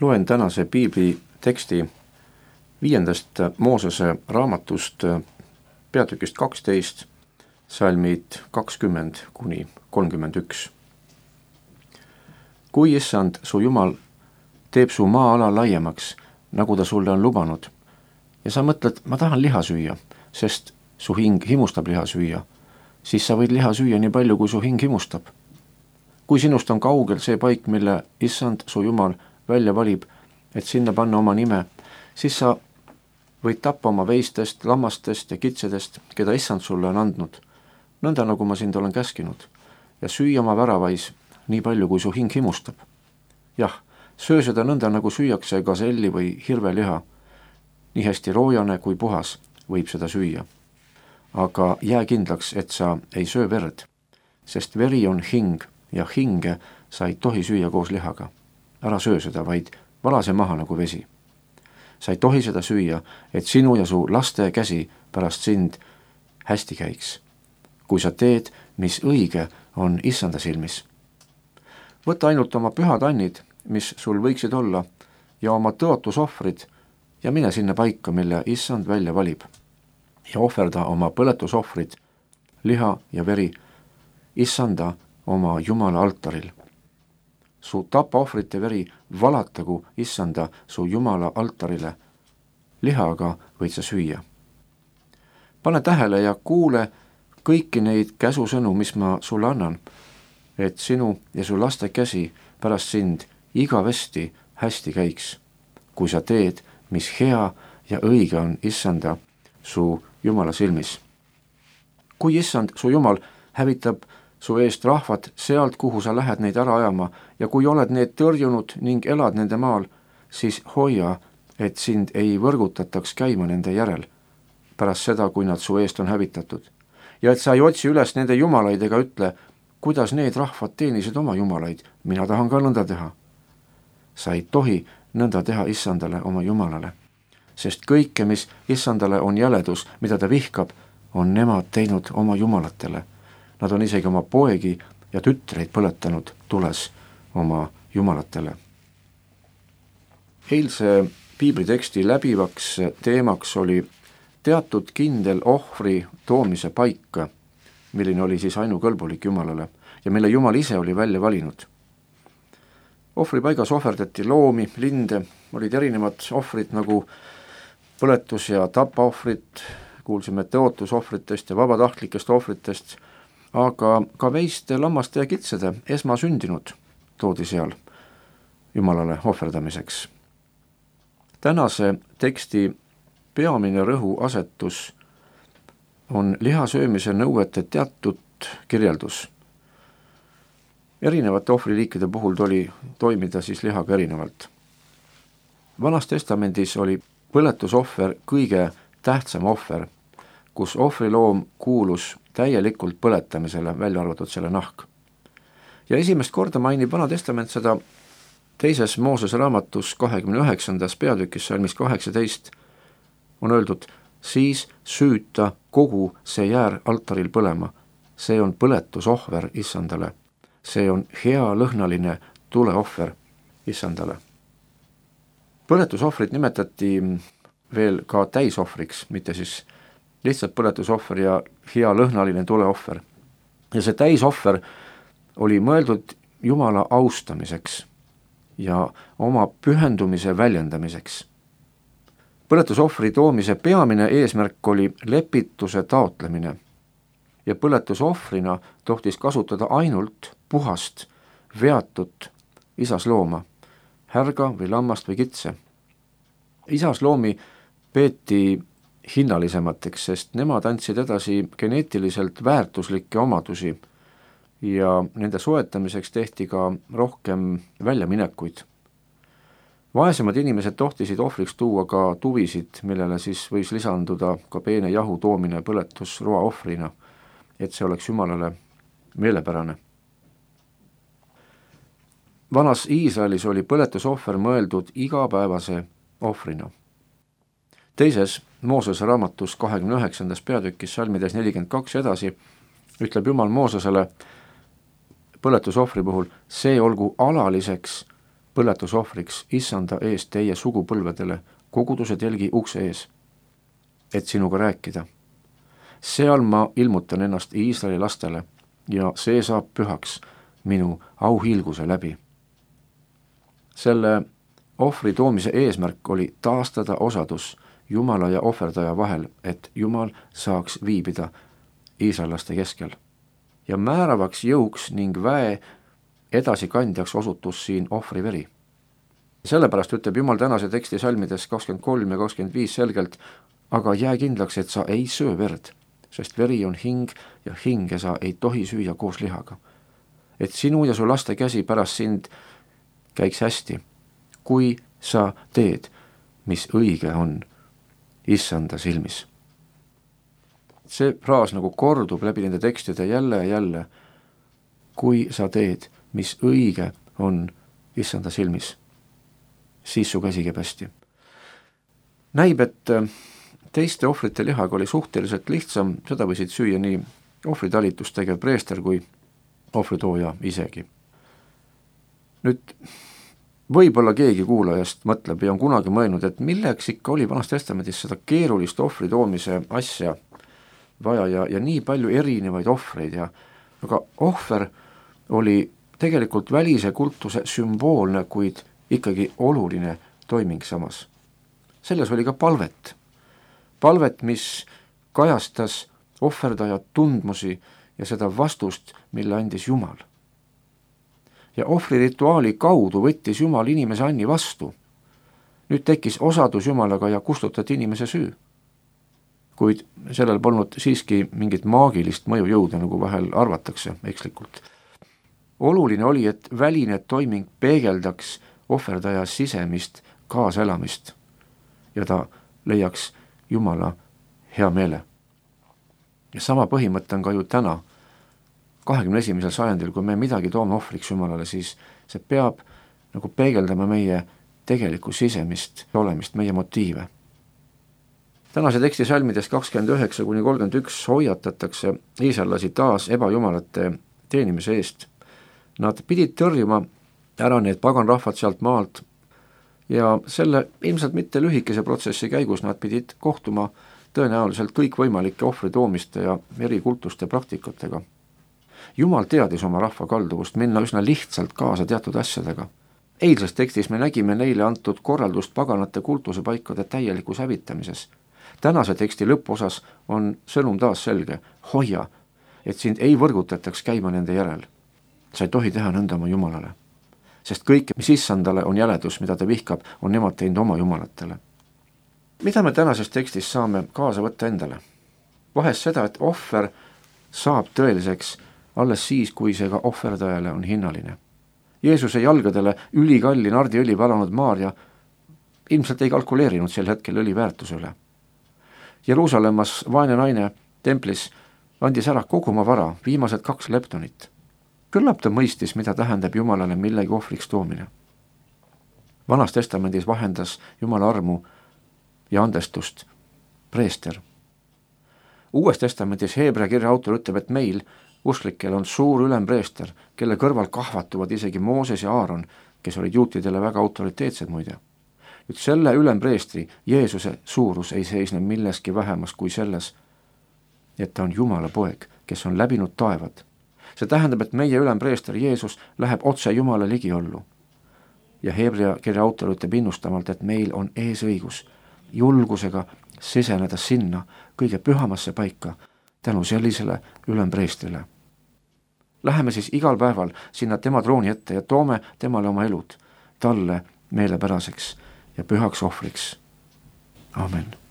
Loen tänase piibli teksti 5. Moosese raamatust peatükist 12, salmid 20–31. Kui issand, su Jumal, teeb su maa-ala laiemaks, nagu ta sulle on lubanud, ja sa mõtled, ma tahan liha süüa, sest su hing himustab liha süüa, siis sa võid liha süüa nii palju, kui su hing himustab. Kui sinust on kaugel see paik, mille issand, su Jumal, välja valib, et sinna panna oma nime, siis sa võid tappa oma veistest, lammastest ja kitsedest, keda issand sulle on andnud, nõnda nagu ma sind olen käskinud, ja süüa oma väravais nii palju, kui su hing himustab. Jah, söö seda nõnda, nagu süüakse gaselli või hirveliha. Nii hästi roojane kui puhas võib seda süüa. Aga jää kindlaks, et sa ei söö verd, sest veri on hing ja hinge sa ei tohi süüa koos lihaga. Ära söö seda, vaid vala see maha nagu vesi. Sa ei tohi seda süüa, et sinu ja su laste käsi pärast sind hästi käiks, kui sa teed, mis õige on issanda silmis. Võta ainult oma pühad annid, mis sul võiksid olla, ja oma tõotusohvrid ja mine sinna paika, mille issand välja valib, ja ohverda oma põletusohvrid, liha ja veri, issanda oma Jumala altaril. Su tapaohvrite veri valatagu issanda su Jumala altarile, lihaga võid sa süüa. Pane tähele ja kuule kõiki neid käsusõnu, mis ma sulle annan, et sinu ja su laste käsi pärast sind igavesti hästi käiks, kui sa teed, mis hea ja õige on issanda su Jumala silmis. Kui issand, su Jumal, hävitab su eest rahvad sealt, kuhu sa lähed neid ära ajama, ja kui oled need tõrjunud ning elad nende maal, siis hoia, et sind ei võrgutataks käima nende järel, pärast seda, kui nad su eest on hävitatud. Ja et sa ei otsi üles nende jumalaid ega ütle, kuidas need rahvad teenisid oma jumalaid, mina tahan ka nõnda teha. Sa ei tohi nõnda teha issandale oma Jumalale, sest kõike, mis issandale on jäledus, mida ta vihkab, on nemad teinud oma jumalatele. Nad on isegi oma poegi ja tütreid põletanud tules oma jumalatele. Eilse piibliteksti läbivaks teemaks oli teatud kindel ohvri toomise paika, milline oli siis ainukõlbulik Jumalale ja mille Jumal ise oli välja valinud. Ohvripaigas ohverdati loomi, linde, olid erinevad ohvrid nagu põletus- ja tapaohvrid, kuulsime tõotusohvritest ja vabatahtlikest ohvritest, aga ka veiste, lammaste ja kitsede esmasündinud toodi seal Jumalale ohverdamiseks. Tänase teksti peamine rõhuasetus on liha söömise nõuete teatud kirjeldus. Erinevate ohvriliikide puhul tuli toimida siis lihaga erinevalt. Vanas testamendis oli põletusohver kõige tähtsam ohver, kus ohvriloom kuulus täielikult põletamisele, välja arvatud selle nahk. Ja esimest korda mainib Vana Testament seda 2. Moosese raamatus 29. peatükis salmis 18 on öeldud, siis süüta kogu see jäär altaril põlema. See on põletusohver issandale. See on hea lõhnaline tuleohver issandale. Põletusohvrit nimetati veel ka täisohvriks, mitte siis lihtsalt põletusohver ja hea lõhnaline tuleohver. Ja see täisohver oli mõeldud Jumala austamiseks ja oma pühendumise väljendamiseks. Põletusohvri toomise peamine eesmärk oli lepituse taotlemine ja põletusohvrina tohtis kasutada ainult puhast, veatut isaslooma, härga või lammast või kitse. Isasloomi peeti hinnalisemateks, sest nemad andsid edasi geneetiliselt väärtuslikke omadusi ja nende soetamiseks tehti ka rohkem väljaminekuid. Vaesemad inimesed tohtisid ohvriks tuua ka tuvisid, millele siis võis lisanduda ka peene jahu toomine põletusroa ohvrina, et see oleks Jumalale meelepärane. Vanas Iisraelis oli põletusohver mõeldud igapäevase ohvrina. 2. Moosese raamatus 29. peatükis salmides 42 edasi ütleb Jumal Moosesele põletusohvri puhul, see olgu alaliseks põletusohvriks issanda eest teie sugupõlvedele koguduse telgi ukse ees, et sinuga rääkida. Seal ma ilmutan ennast Iisraeli lastele ja see saab pühaks minu auhiilguse läbi. Selle ohvri toomise eesmärk oli taastada osadus Jumala ja ohverdaja vahel, et Jumal saaks viibida iisraellaste keskel. Ja määravaks jõuks ning väe edasikandjaks osutus siin ohvri veri. Sellepärast ütleb Jumal tänase teksti salmides 23 ja 25 selgelt, aga jää kindlaks, et sa ei söö verd, sest veri on hing ja hinge sa ei tohi süüa koos lihaga. Et sinu ja su laste käsi pärast sind käiks hästi, kui sa teed, mis õige on issanda silmis. See fraas nagu kordub läbi nende tekstide jälle ja jälle, kui sa teed, mis õige on issanda silmis, siis su käsi käib hästi. Näib, et teiste ohvrite lihaga oli suhteliselt lihtsam, seda võisid süüa nii ohvritalitust tegev preester kui ohvritooja isegi. Nüüd võib-olla keegi kuulajast mõtleb ja on kunagi mõelnud, et milleks ikka oli Vanas Testamendis seda keerulist ohvri toomise asja vaja ja nii palju erinevaid ohvreid aga ohver oli tegelikult välise kultuse sümboolne, kuid ikkagi oluline toiming samas. Selles oli ka palvet. Palvet, mis kajastas ohverdaja tundmusi ja seda vastust, mille andis Jumal. Ja ohvrirituaali kaudu võttis Jumal inimese anni vastu. Nüüd tekkis osadus Jumalaga ja kustutati inimese süü. Kuid sellel polnud siiski mingit maagilist mõjujõuda, nagu vahel arvatakse ekslikult. Oluline oli, et väline toiming peegeldaks ohverdaja sisemist kaaselamist ja ta leiaks Jumala hea meele. Ja sama põhimõte on ka ju täna, 21. sajandil, kui me midagi toome ohvriks Jumalale, siis see peab nagu peegeldama meie tegelikku sisemist olemist, meie motiive. Tänase teksti salmides 29-31 hoiatatakse iisraellasi taas ebajumalate teenimise eest. Nad pidid tõrjuma ära need paganrahvad sealt maalt ja selle ilmselt mitte lühikese protsessi käigus nad pidid kohtuma tõenäoliselt kõikvõimalike ohvritoomiste ja erikultuste praktikatega. Jumal teadis oma rahva kalduvust minna üsna lihtsalt kaasa teatud asjadega. Eilses tekstis me nägime neile antud korraldust paganate kultusepaikade täielikus hävitamises. Tänase teksti lõpuosas on sõnum taas selge, hoia, et sind ei võrgutataks käima nende järel. Sa ei tohi teha nõnda oma Jumalale, sest kõik, mis issandale on jäledus, mida ta vihkab, on nemad teinud oma jumalatele. Mida me tänases tekstis saame kaasa võtta endale? Vahest seda, et ohver saab tõeliseks alles siis, kui see ka ohverdajale on hinnaline. Jeesuse jalgadele ülikalli nardiõli valanud Maarja ilmselt ei kalkuleerinud sel hetkel õli väärtuse üle. Jeruusalemmas vaene naine templis andis ära kogu oma vara, viimased 2 leptonit. Küllap ta mõistis, mida tähendab Jumalale millegi ohvriks toomine. Vanas testamendis vahendas Jumala armu ja andestust preester. Uues testamendis Heebrea kirja autor ütleb, et meil, usklikel, on suur ülempreester, kelle kõrval kahvatuvad isegi Mooses ja Aaron, kes olid juutidele väga autoriteetsed muide. Nüüd selle ülempreestri, Jeesuse suurus ei seisne milleski vähemas kui selles, et ta on Jumala poeg, kes on läbinud taevad. See tähendab, et meie ülempreester Jeesus läheb otse Jumala ligiollu. Ja Heebrea kirja autor ütleb innustamalt, et meil on eesõigus julgusega siseneda sinna kõige pühamasse paika tänu sellisele ülempreestrile. Läheme siis igal päeval sinna tema trooni ette ja toome temale oma elud, talle meelepäraseks ja pühaks ohvriks. Amen.